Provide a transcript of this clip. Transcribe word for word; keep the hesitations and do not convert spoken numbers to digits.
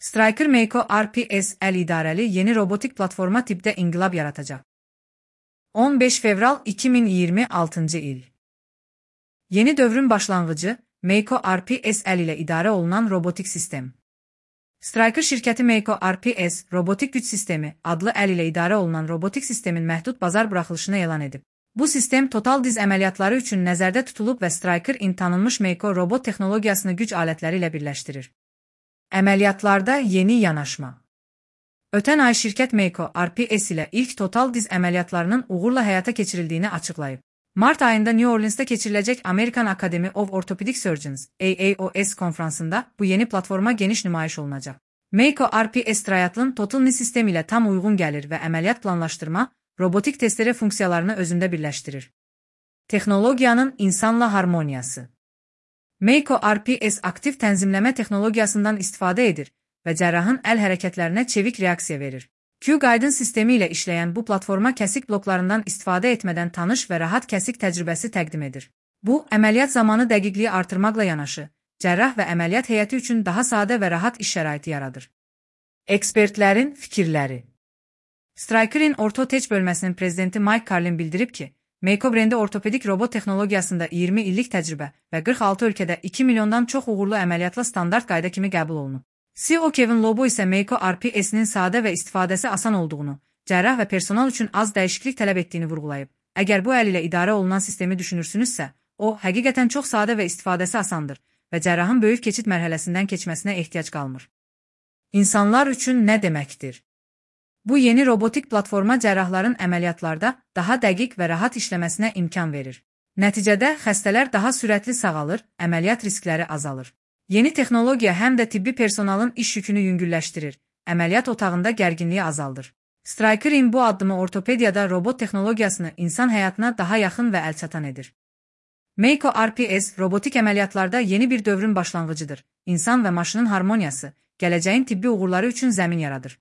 Stryker Mako R P S L idarəli yeni robotik platforma tipdə inqilab yaratacaq. on beş fevral iki min iyirmi altıncı il. Yeni dövrün başlanğıcı Mako R P S L ilə idarə olunan robotik sistem. Stryker şirkəti Mako R P S robotik güc sistemi adlı əl ilə idarə olunan robotik sistemin məhdud bazar buraxılışını elan edib. Bu sistem total diz əməliyyatları üçün nəzərdə tutulub və Stryker-in tanınmış Mako robot texnologiyasını güc alətləri ilə birləşdirir. Əməliyyatlarda yeni yanaşma. Ötən ay şirkət Mako R P S ilə ilk total diz əməliyyatlarının uğurla həyata keçirildiyini açıqlayıb. Mart ayında New Orleans'da keçiriləcək American Academy of Orthopedic Surgeons A A O S konfransında bu yeni platforma geniş nümayiş olunacaq. Mako R P S Triathlon Total Knee sistemi ilə tam uyğun gəlir və əməliyyat planlaşdırma, robotik testere funksiyalarını özündə birləşdirir. Texnologiyanın insanla harmoniyası. Mako R P S aktiv tənzimləmə texnologiyasından istifadə edir və cərrahın əl hərəkətlərinə çevik reaksiya verir. Q-Guidance sistemi ilə işləyən bu platforma kəsik bloklarından istifadə etmədən tanış və rahat kəsik təcrübəsi təqdim edir. Bu, əməliyyat zamanı dəqiqliyi artırmaqla yanaşı, cərrah və əməliyyat heyəti üçün daha sadə və rahat iş şəraiti yaradır. Ekspertlərin fikirləri. Stryker-in Ortho-Tech bölməsinin prezidenti Mike Carlin bildirib ki, Mako brendi ortopedik robot texnologiyasında iyirmi illik təcrübə və qırx altı ölkədə iki milyondan çox uğurlu əməliyyatla standart qayda kimi qəbul olunub. C E O Kevin Lobo isə Mako R P S-nin sadə və istifadəsi asan olduğunu, cərrah və personal üçün az dəyişiklik tələb etdiyini vurğulayıb. Əgər bu əl ilə idarə olunan sistemi düşünürsünüzsə, o, həqiqətən çox sadə və istifadəsi asandır və cərrahın böyük keçid mərhələsindən keçməsinə ehtiyac qalmır. İnsanlar üçün nə deməkdir? Bu yeni robotik platforma cərrahların əməliyyatlarda daha dəqiq və rahat işləməsinə imkan verir. Nəticədə xəstələr daha sürətli sağalır, əməliyyat riskləri azalır. Yeni texnologiya həm də tibbi personalın iş yükünü yüngülləşdirir, əməliyyat otağında gərginliyi azaldır. Stryker-in bu addımı ortopediyada robot texnologiyasını insan həyatına daha yaxın və əlçatan edir. Mako R P S robotik əməliyyatlarda yeni bir dövrün başlanğıcıdır. İnsan və maşının harmoniyası, gələcəyin tibbi uğurları üçün zəmin yaradır.